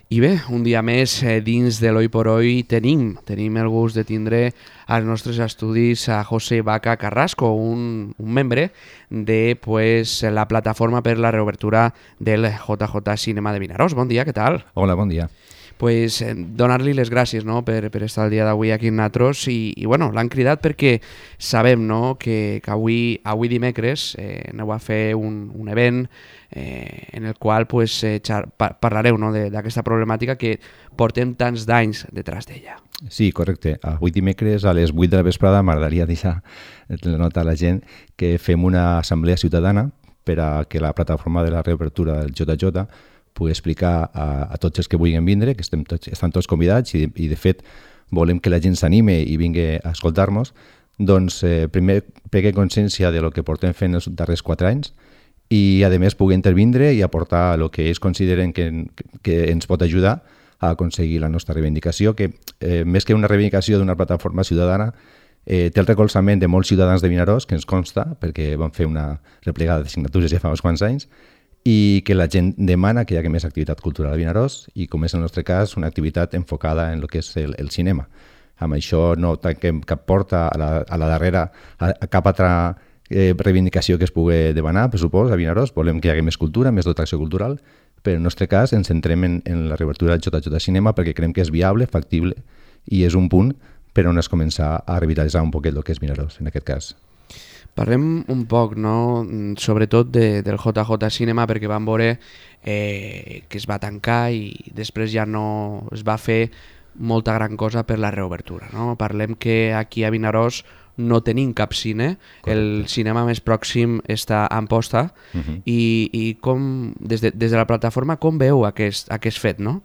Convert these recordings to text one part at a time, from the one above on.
I bé, un dia més dins de l'Oi por Hoy tenim el gust de tindre als nostres estudis a José Vaca Carrasco, un membre de la plataforma per la reobertura del JJ Cinema de Vinaròs. Bon dia, què tal? Hola, bon dia. Donar-li les gràcies, no?, per estar el dia d'avui aquí en Natros i bueno, l'han cridat perquè sabem, no?, que avui dimecres aneu a fer un event en el qual parlareu, no?, d'aquesta problemàtica que portem tants d'anys detrás d'ella. Sí, correcte. Avui dimecres a les 8 de la vesprada m'agradaria deixar la nota a la gent que fem una assemblea ciutadana per a que la plataforma de la reobertura del JJ pugui explicar a tots els que vulguin vindre, que estan tots convidats i de fet volem que la gent s'anime i vingui a escoltar-nos, doncs primer prengué consciència de lo que portem fent els darrers 4 anys i a més pugui intervindre i aportar el que ells consideren que ens pot ajudar a aconseguir la nostra reivindicació, que més que una reivindicació d'una plataforma ciutadana té el recolzament de molts ciutadans de Vinaròs, que ens consta, perquè van fer una replegada de signatures ja fa uns quants anys, i que la gent demana que hi hagi més activitat cultural a Vinaròs i, com és el nostre cas, una activitat enfocada en el que és el cinema. Amb això no tanquem cap porta a la darrera, a cap altra reivindicació que es pugui demanar, per supòs, a Vinaròs. Volem que hi hagi més cultura, més dotació cultural, però en el nostre cas ens centrem en la reobertura del JJ Cinema perquè creiem que és viable, factible i és un punt per on es començar a revitalitzar un poquet el que és Vinaròs, en aquest cas. Parlem un poc, no?, sobretot del JJ Cinema, perquè vam veure que es va tancar i després ja no es va fer molta gran cosa per la reobertura, no? Parlem que aquí a Vinaròs no tenim cap cine. Correcte. El cinema més pròxim està a Amposta. I com, des de la plataforma, com veu aquest fet, no?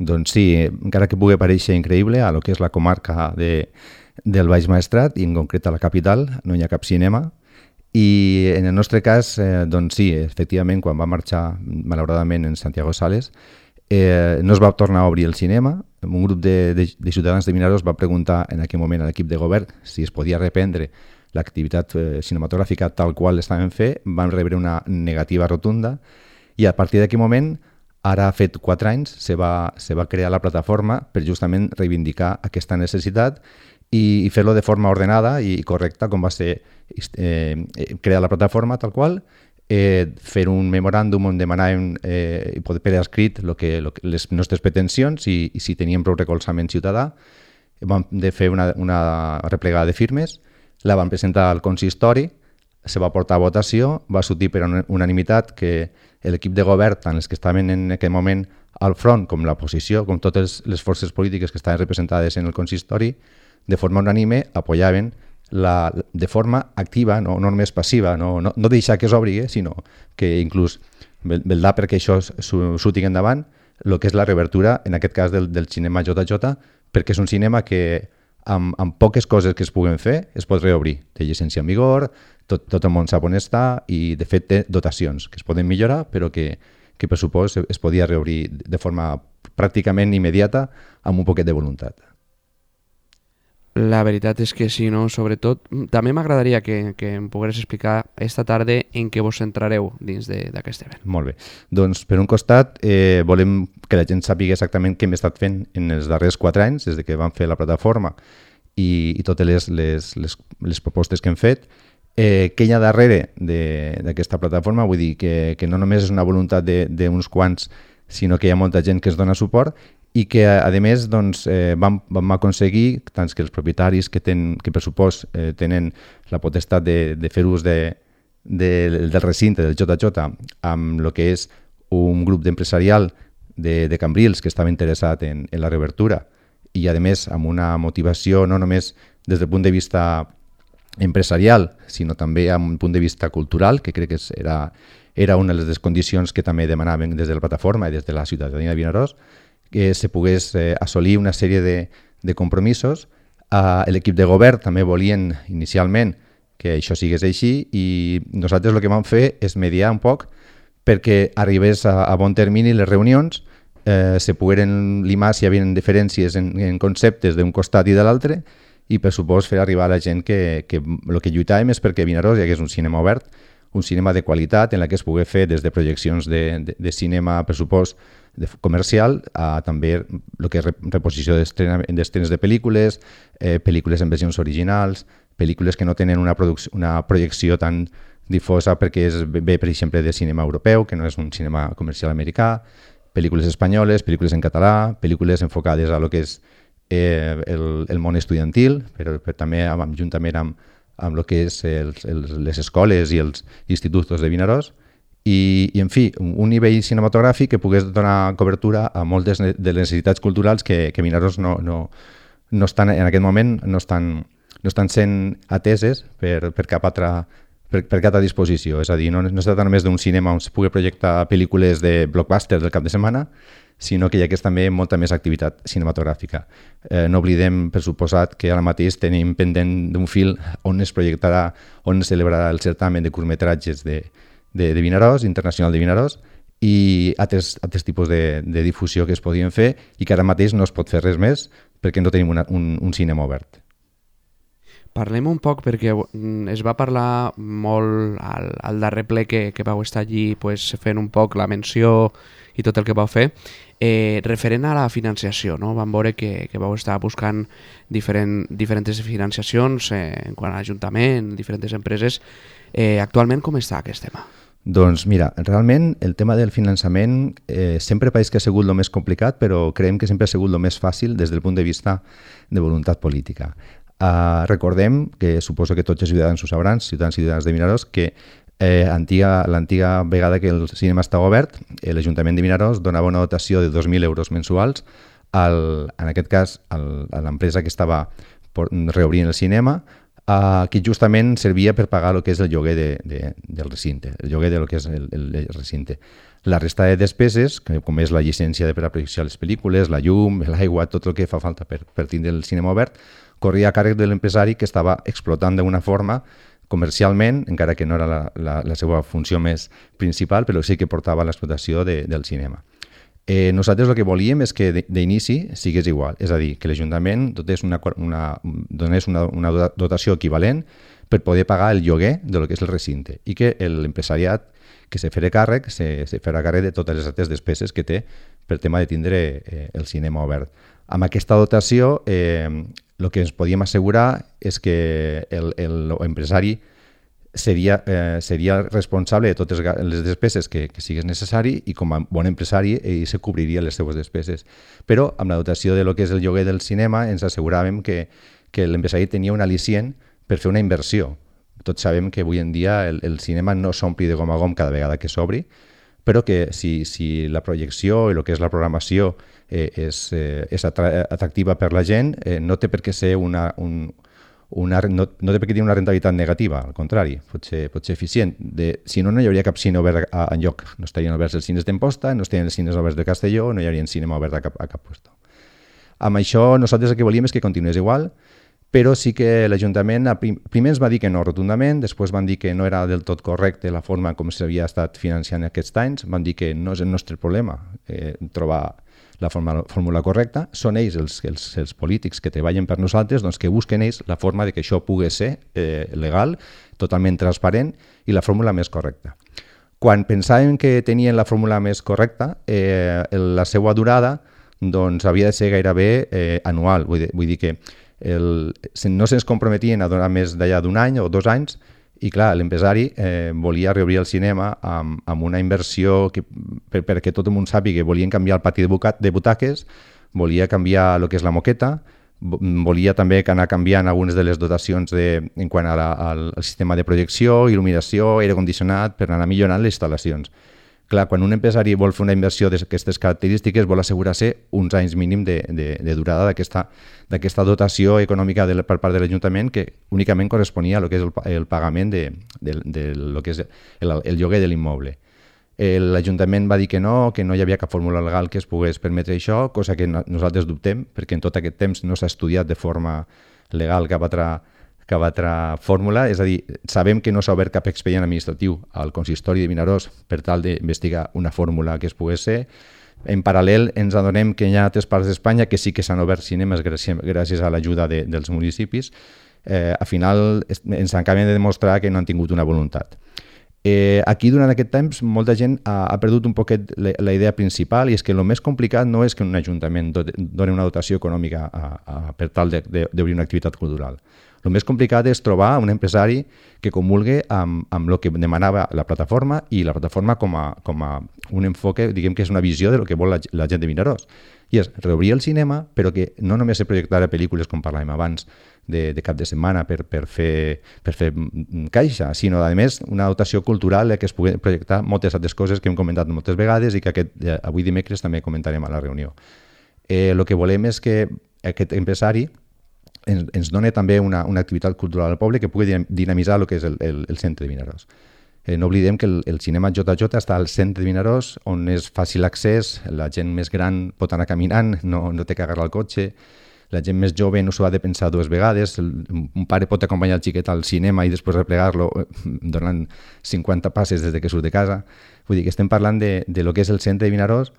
Doncs sí, encara que pugui aparèixer increïble a lo que és la comarca del Baix Maestrat i en concret a la capital no hi ha cap cinema i en el nostre cas doncs sí, efectivament quan va marxar malauradament en Santiago Sales no es va tornar a obrir el cinema. Un grup de ciutadans de Vinaròs va preguntar en aquell moment a l'equip de govern si es podia reprendre l'activitat cinematogràfica tal qual l'estaven fent. Van rebre una negativa rotunda i a partir d'aquell moment, ara ha fet 4 anys, se va crear la plataforma per justament reivindicar aquesta necessitat i fer-lo de forma ordenada i correcta, com va ser crear la plataforma tal qual, fer un memoràndum on demanàvem per escrit les nostres pretensions i si teníem prou recolzament ciutadà. Vam fer una replegada de firmes, la vam presentar al consistori, se va portar a votació, va sortir per unanimitat que l'equip de govern, tant els que estaven en aquell moment al front com l'oposició, com totes les forces polítiques que estaven representades en el consistori, de forma unànime apoyaven de forma activa, no només passiva, no deixar que s'obri, sinó que inclús vetllar perquè això surti endavant, el que és la reobertura, en aquest cas del cinema JJ, perquè és un cinema que amb poques coses que es puguen fer es pot reobrir. Té llicència en vigor, tot el món sap on està i de fet té dotacions que es poden millorar però que per supòs es podia reobrir de forma pràcticament immediata amb un poquet de voluntat. La veritat és que sí, no? Sobretot, també m'agradaria que em pogués explicar esta tarda en què vos centrareu dins d'aquest event. Molt bé. Doncs, per un costat, volem que la gent sàpiga exactament què hem estat fent en els darrers 4 anys, des que vam fer la plataforma i totes les propostes que hem fet. Què hi ha darrere d'aquesta plataforma? Vull dir que no només és una voluntat d'uns quants, sinó que hi ha molta gent que es dona suport i que, a més, doncs, vam aconseguir tant que els propietaris que per supòs tenen la potestat de fer ús del recinte del JJ amb el que és un grup d'empresarial de Cambrils que estava interessat en la reobertura i, a més, amb una motivació no només des del punt de vista empresarial, sinó també amb un punt de vista cultural, que crec que era una de les condicions que també demanaven des de la plataforma i des de la ciutadania de Vinaròs, que se pogués assolir una sèrie de compromisos. L'equip de govern també volien inicialment que això sigués així i nosaltres el que vam fer és mediar un poc perquè arribés a bon termini les reunions, se pogueren limar si hi havia diferències en conceptes d'un costat i de l'altre i per supòs fer arribar a la gent que el que lluitàvem és perquè a Vinaròs hi hagués un cinema obert, un cinema de qualitat en la que es pugui fer des de projeccions de cinema, per supòs, comercial a també el que és reposició d'estrenes de pel·lícules, pel·lícules en versions originals, pel·lícules que no tenen una projecció tan difosa perquè ve, per exemple, de cinema europeu, que no és un cinema comercial americà, pel·lícules espanyoles, pel·lícules en català, pel·lícules enfocades a lo que és el món estudiantil, però també juntament amb el que és les escoles i els instituts de Vinaròs, i en fi, un nivell cinematogràfic que pogués donar cobertura a moltes de les necessitats culturals que Vinaròs no estan, en aquest moment no estan sent ateses per cap altra disposició. És a dir, no es tracta només d'un cinema on es pugui projectar pel·lícules de blockbuster del cap de setmana, sinó que hi ha també molta més activitat cinematogràfica. No oblidem, per suposat, que ara mateix tenim pendent d'un fil on es projectarà, on es celebrarà el certamen de curtmetratges de Vinaròs, internacional de Vinaròs, i altres tipus de difusió que es podien fer i que ara mateix no es pot fer res més perquè no tenim un cinema obert. Parlem un poc, perquè es va parlar molt al darrer ple que vau estar allí fent un poc la menció i tot el que vau fer, referent a la financiació, no? Vam veure que vau estar buscant diferents financiacions en quant a l'Ajuntament, diferents empreses. Actualment com està aquest tema? Doncs mira, realment el tema del finançament sempre pareix que ha sigut el més complicat, però creiem que sempre ha sigut el més fàcil des del punt de vista de voluntat política. Recordem, que suposo que tots els ciutadans ho sabran, ciutadans i ciutadanes de Vinaròs, que l'antiga vegada que el cinema estava obert, l'Ajuntament de Vinaròs donava una dotació de 2.000 euros mensuals, en aquest cas a l'empresa que estava reobrint el cinema, que justament servia per pagar el que és el lloguer del recinte, el lloguer del que és el recinte. La resta de despeses, com és la llicència per a projectar les pel·lícules, la llum, l'aigua, tot el que fa falta per tindre el cinema obert, corria a càrrec de l'empresari que estava explotant d'una forma comercialment, encara que no era la seva funció més principal, però sí que portava l'explotació del cinema. Nosaltres el que volíem és que d'inici sigués igual, és a dir, que l'Ajuntament donés una dotació equivalent per poder pagar el lloguer del que és el recinte i que l'empresariat que se farà càrrec de totes les altres despeses que té per tema de tindre el cinema obert. Amb aquesta dotació el que ens podíem assegurar és que l'empresari seria responsable de totes les despeses que sigués necessari i com a bon empresari ell se cobriria les seues despeses. Però amb la dotació de lo que és el lloguer del cinema ens asseguràvem que l'empresari tenia un al·licient per fer una inversió. Tots sabem que avui en dia el cinema no s'ompli de gom a gom cada vegada que s'obri, però que si la projecció i el que és la programació és atractiva per la gent, no té per què ser no té per què tenir una rentabilitat negativa, al contrari, pot ser eficient. Si no, no hi hauria cap cine obert enlloc. No estarien oberts els cines d'Amposta, no estarien els cines oberts de Castelló, no hi hauria cinema obert a cap lloc. Amb això nosaltres el que volíem és que continués igual, però sí que l'Ajuntament primer ens va dir que no rotundament, després van dir que no era del tot correcte la forma com s'havia estat financiant aquests anys, van dir que no és el nostre problema trobar la fórmula correcta, són ells els polítics que treballen per nosaltres, doncs que busquen ells la forma de que això pugui ser legal, totalment transparent i la fórmula més correcta. Quan pensàvem que tenien la fórmula més correcta, la seva durada doncs, havia de ser gairebé anual, vull dir que no se'ns comprometien a donar més d'allà d'un any o 2 anys, i clar, l'empresari volia reobrir el cinema amb una inversió perquè tot el món sàpiga que volien canviar el pati de butaques, volia canviar el que és la moqueta, volia també anar canviant algunes de les dotacions en quant al sistema de projecció, il·luminació, aire condicionat, per anar millorant les instal·lacions. Clar, quan un empresari vol fer una inversió d'aquestes característiques vol assegurar-se uns anys mínim de durada d'aquesta dotació econòmica per part de l'Ajuntament que únicament corresponia a lo que és el pagament de lo que és el lloguer de l'immoble. L'Ajuntament va dir que no hi havia cap fórmula legal que es pogués permetre això, cosa que nosaltres dubtem, perquè en tot aquest temps no s'ha estudiat de forma legal cap altra fórmula, és a dir, sabem que no s'ha obert cap expedient administratiu al consistori de Vinaròs per tal d'investigar una fórmula que es pogués ser. En paral·lel ens adonem que hi ha altres parts d'Espanya que sí que s'han obert cinemes gràcies a l'ajuda dels municipis. Al final ens acaben de demostrar que no han tingut una voluntat. Aquí, durant aquest temps, molta gent ha perdut un poquet la idea principal, i és que el més complicat no és que un ajuntament doni una dotació econòmica per tal d'obrir una activitat cultural. El més complicat és trobar un empresari que comulgue amb el que demanava la plataforma, i la plataforma com a un enfoque, diguem que és una visió de lo que vol la gent de Vinaròs. I és reobrir el cinema, però que no només se projectara pel·lícules, com parlàvem abans, de cap de setmana per fer caixa, sinó, a més, una dotació cultural que es pugui projectar moltes altres coses que hem comentat moltes vegades i que avui dimecres també comentarem a la reunió. El que volem és que aquest empresari ens dona també una activitat cultural al poble que pugui dinamitzar el que és el centre de Vinaròs. No oblidem que el cinema JJ està al centre de Vinaròs, on és fàcil accés, la gent més gran pot anar caminant, no té que agarrar el cotxe, la gent més jove no s'ho ha de pensar dues vegades, un pare pot acompanyar el xiquet al cinema i després replegar-lo donant 50 passes des que surt de casa. Vull dir que estem parlant de lo que és el centre de Vinaròs,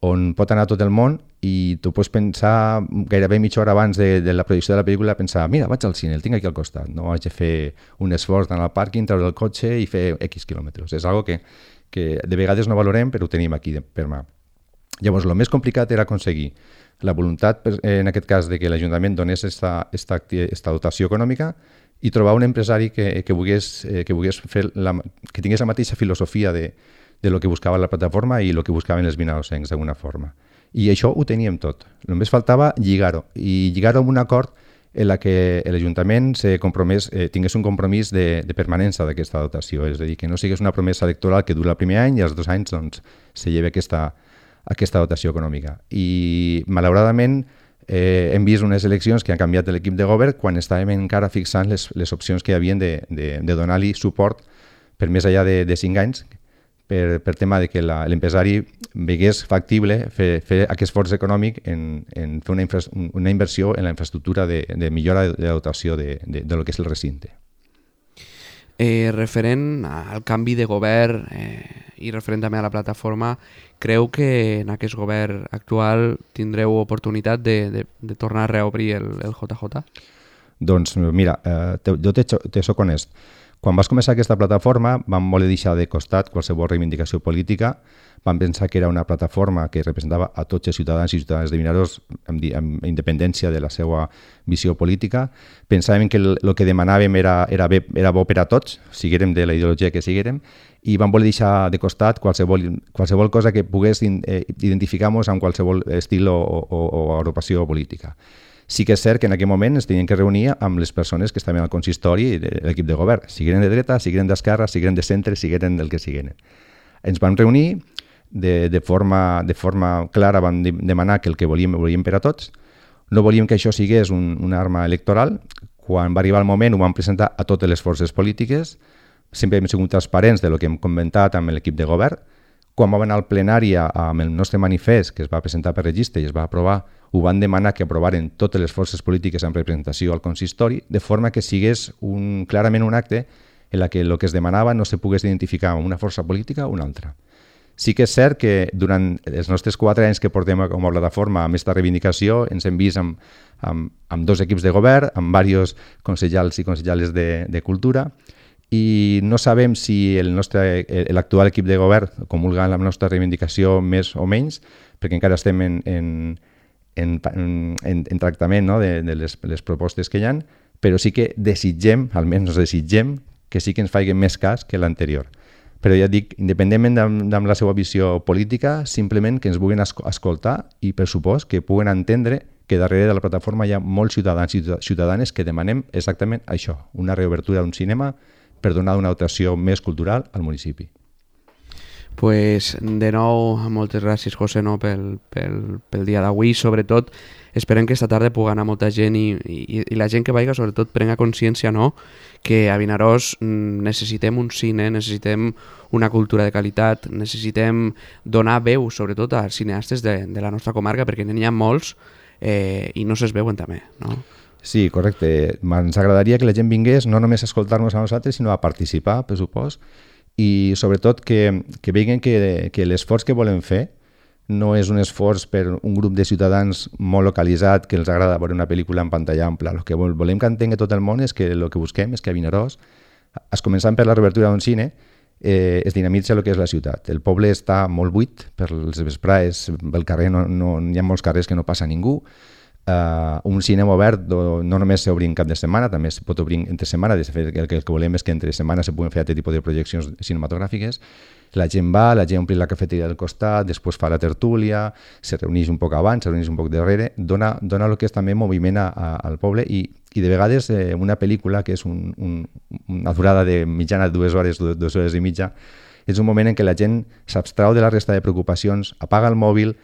on pot anar tot el món, i tu pots pensar gairebé mitja hora abans de la projecció de la pel·lícula, pensar, mira, vaig al cine, el tinc aquí al costat, no haig de fer un esforç d'anar al pàrquing, treure el cotxe i fer X quilòmetres. És algo que de vegades no valorem, però ho tenim aquí per mà. Llavors, el més complicat era aconseguir la voluntat, en aquest cas, de que l'Ajuntament donés esta dotació econòmica, i trobar un empresari que tingués la mateixa filosofia de lo que buscava la plataforma i lo que buscaven els vinarossencs d'alguna forma. I això ho teníem tot. Només faltava lligar-ho, i lligar-ho amb un acord en la que l'Ajuntament tingués un compromís de permanència d'aquesta dotació, és a dir, que no sigués una promesa electoral que dura el primer any i als 2 anys se lleva aquesta dotació econòmica. I, malauradament, hem vist unes eleccions que han canviat l'equip de govern quan estàvem encara fixant les opcions que hi havien de donar-li suport per més enllà de 5 anys, per tema de que l'empresari vegués factible fer aquest esforç econòmic en fer una inversió en la infraestructura de millora de la dotació de lo que és el recinte. Referent al canvi de govern i referent també a la plataforma, creu que en aquest govern actual tindreu oportunitat de tornar a reobrir el JJ? Doncs mira, jo te soc honest. Quan vas començar aquesta plataforma vam voler deixar de costat qualsevol reivindicació política, vam pensar que era una plataforma que representava a tots els ciutadans i ciutadanes de Vinaròs amb independència de la seva visió política. Pensàvem que el que demanàvem era bo per a tots, siguérem de la ideologia que siguérem, i vam voler deixar de costat qualsevol cosa que pogués identificar-nos amb qualsevol estil o agrupació política. Sí que és cert que en aquell moment ens tenien que reunir amb les persones que estaven al consistori i l'equip de govern, sigueren de dreta, sigueren d'esquerra, sigueren de centre, sigueren del que sigueren. Ens vam reunir, de forma clara vam demanar que el que volíem per a tots. No volíem que això sigués una arma electoral. Quan va arribar el moment ho vam presentar a totes les forces polítiques. Sempre hem sigut transparents de lo que hem comentat amb l'equip de govern. Quan vam anar al plenari amb el nostre manifest, que es va presentar per registre i es va aprovar, ho van demanar que aprovaren totes les forces polítiques amb representació al consistori, de forma que sigués clarament un acte en què el que es demanava no se pogués identificar amb una força política o una altra. Sí que és cert que durant els nostres 4 anys que portem com a plataforma amb aquesta reivindicació ens hem vist amb 2 equips de govern, amb diversos consellers i consellers de cultura, i no sabem si l'actual equip de govern comulga amb la nostra reivindicació més o menys, perquè encara estem en tractament, no, de les propostes que hi ha, però sí que desitgem, almenys desitgem, que sí que ens facin més cas que l'anterior. Però ja dic, independentment de la seva visió política, simplement que ens vulguin escoltar i, per supost, que puguen entendre que darrere de la plataforma hi ha molts ciutadans i ciutadanes que demanem exactament això, una reobertura d'un cinema per donar una dotació més cultural al municipi. Pues, de nou, moltes gràcies, José, no, pel dia d'avui. Sobretot, esperem que esta tarda pugui anar molta gent i la gent que vaiga, sobretot, prenga consciència, no?, que a Vinaròs necessitem un cine, necessitem una cultura de qualitat, necessitem donar veu, sobretot, als cineastes de la nostra comarca, perquè n'hi ha molts i no se'ls veuen també, no? Sí, correcte. Ens agradaria que la gent vingués no només a escoltar-nos a nosaltres, sinó a participar, per supost, i sobretot que vegin que l'esforç que volem fer no és un esforç per un grup de ciutadans molt localitzat que els agrada veure una pel·lícula en pantalla ampla. El que volem que entengui tot el món és que el que busquem és que a Vinaròs, començant per la reobertura d'un cine, es dinamitza el que és la ciutat. El poble està molt buit, per les vesprades, pel carrer hi ha molts carrers que no passa ningú. Un cinema obert no només s'obri en cap de setmana, també es pot obrir entre setmana. De fet, el que volem és que entre setmana se puguen fer aquest tipus de projeccions cinematogràfiques. La gent va, la gent ompli la cafeteria del costat, després fa la tertúlia, se reuneix un poc abans, se reuneix un poc darrere, dona el que és també moviment al poble i de vegades una pel·lícula que és una durada de mitjana de 2 hores, 2 hores i mitja, és un moment en què la gent s'abstrau de la resta de preocupacions, apaga el mòbil,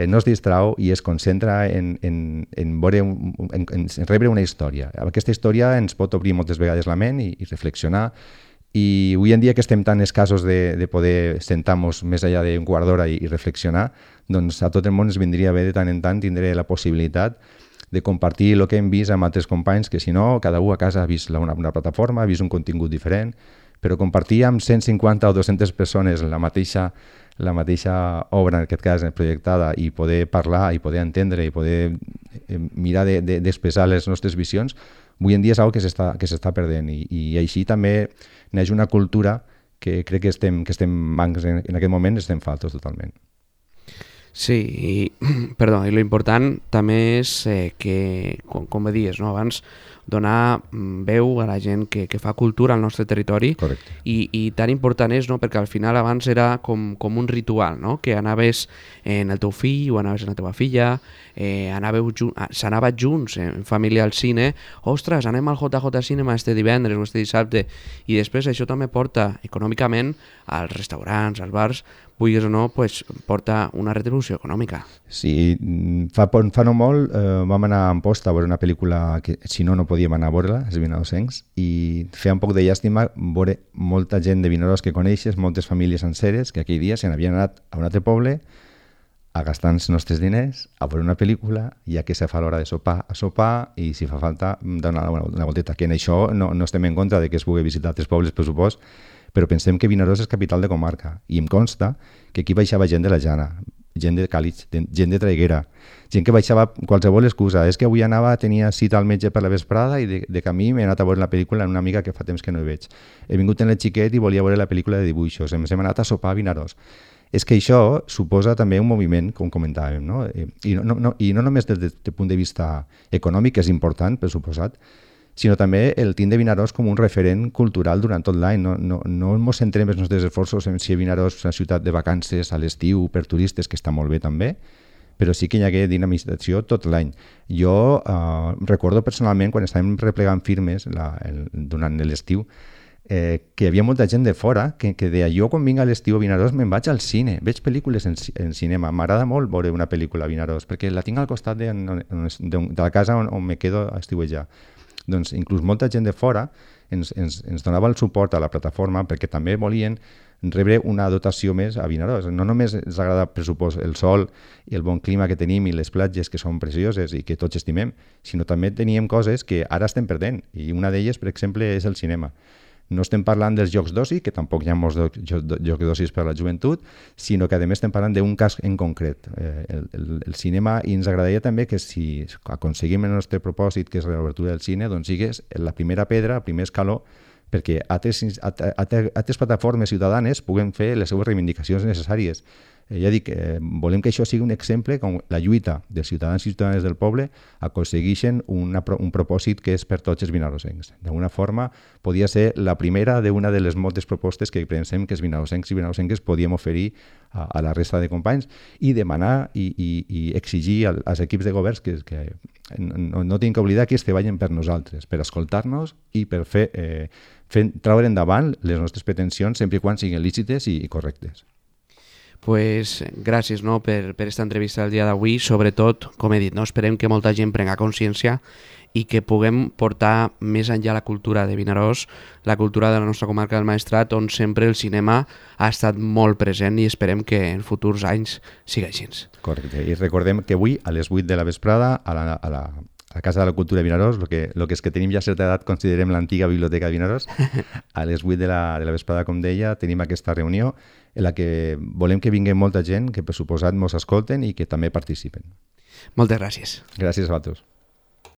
no es distrau i es concentra en rebre una història. Aquesta història ens pot obrir moltes vegades la ment i reflexionar. I avui en dia que estem tan escassos de poder sentar-nos més enllà d'un quart d'hora i reflexionar, doncs a tot el món ens vindria bé de tant en tant tindre la possibilitat de compartir el que hem vist amb altres companys, que si no, cada un a casa ha vist una plataforma, ha vist un contingut diferent, però compartir amb 150 o 200 persones la mateixa obra, en aquest cas projectada, i poder parlar, i poder entendre, i poder mirar d'expressar les nostres visions, avui en dia és una cosa que s'està perdent i així també neix una cultura que crec que estem en aquest moment estem faltos totalment. Sí, perdó, i l'important també és que, com dius, no? Abans donar veu a la gent que fa cultura al nostre territori. Correcte. I tan important és, no? Perquè al final abans era com un ritual, no? Que anaves en el teu fill o anaves en la teva filla, s'anava junts en família al cine, ostres, anem al JJ Cinema este divendres o este dissabte, i després això també porta econòmicament als restaurants, als bars, vulguis o no, pues, porta una retribució econòmica. Sí, fa no molt vam anar a Amposta a veure una pel·lícula que si no podíem anar a veure-la, els Vinarosencs, i feia un poc de llàstima veure molta gent de Vinaròs que coneixes, moltes famílies senceres que aquell dia se n'havien anat a un altre poble a gastar els nostres diners, a veure una pel·lícula, ja que se fa l'hora de sopar, a sopar, i si fa falta donar una volteta. Que en això no estem en contra de que es pugui visitar altres pobles, per supost, però pensem que Vinaròs és capital de comarca i em consta que aquí baixava gent de la Jana, gent de Càlig, gent de Traiguera, gent que baixava qualsevol excusa. És que avui tenia cita al metge per la vesprada i de camí m'he anat a veure la pel·lícula en una amiga que fa temps que no hi veig. He vingut en el xiquet i volia veure la pel·lícula de dibuixos, hem anat a sopar a Vinaròs. És que això suposa també un moviment, com comentàvem, no? I no només des del punt de vista econòmic, que és important, per suposat, sinó també el tindre Vinaròs com un referent cultural durant tot l'any. No ens centrem els nostres esforços en si Vinaròs és una ciutat de vacances a l'estiu per turistes, que està molt bé també, però sí que hi hagué dinamització tot l'any. Jo recordo personalment, quan estàvem replegant firmes durant l'estiu, que hi havia molta gent de fora que deia, jo quan vinc a l'estiu a Vinaròs me'n vaig al cine, veig pel·lícules en cinema, m'agrada molt veure una pel·lícula a Vinaròs, perquè la tinc al costat de la casa on me quedo a estiuejar. Doncs inclús molta gent de fora ens donava el suport a la plataforma perquè també volien rebre una dotació més a Vinaròs. No només ens agrada, per supost, el sol i el bon clima que tenim i les platges que són precioses i que tots estimem, sinó també teníem coses que ara estem perdent, i una d'elles, per exemple, és el cinema. No estem parlant dels jocs d'oci, que tampoc hi ha molts jocs d'oci per a la joventut, sinó que a més estem parlant d'un cas en concret, el cinema, i ens agradaria també que si aconseguim el nostre propòsit, que és l'obertura del cine, doncs sigués la primera pedra, el primer escaló, perquè altres plataformes ciutadanes puguen fer les seves reivindicacions necessàries. Ja dic, volem que això sigui un exemple com la lluita dels ciutadans i ciutadanes del poble aconsegueixen un propòsit que és per tots els vinarosencs. D'alguna forma, podia ser la primera d'una de les moltes propostes que pensem que els vinarosencs i vinarosenques podíem oferir a la resta de companys i demanar i exigir als equips de governs que no tinguin que oblidar que treballen per nosaltres, per escoltar-nos i per treure endavant les nostres pretensions sempre i quan siguin lícites i correctes. Pues gràcies, no, per aquesta entrevista del dia d'avui. Sobretot, com he dit, no, esperem que molta gent prenga consciència i que puguem portar més enllà la cultura de Vinaròs, la cultura de la nostra comarca del Maestrat, on sempre el cinema ha estat molt present, i esperem que en futurs anys sigui així. Correcte, i recordem que avui a les 8 de la vesprada a la Casa de la Cultura de Vinaròs, el que és que tenim ja certa edat, considerem l'antiga biblioteca de Vinaròs, a les 8 de la vesprada, com deia, tenim aquesta reunió en la que volem que vingui molta gent, que per suposat mos escolten i que també participen. Moltes gràcies. Gràcies a vosaltres.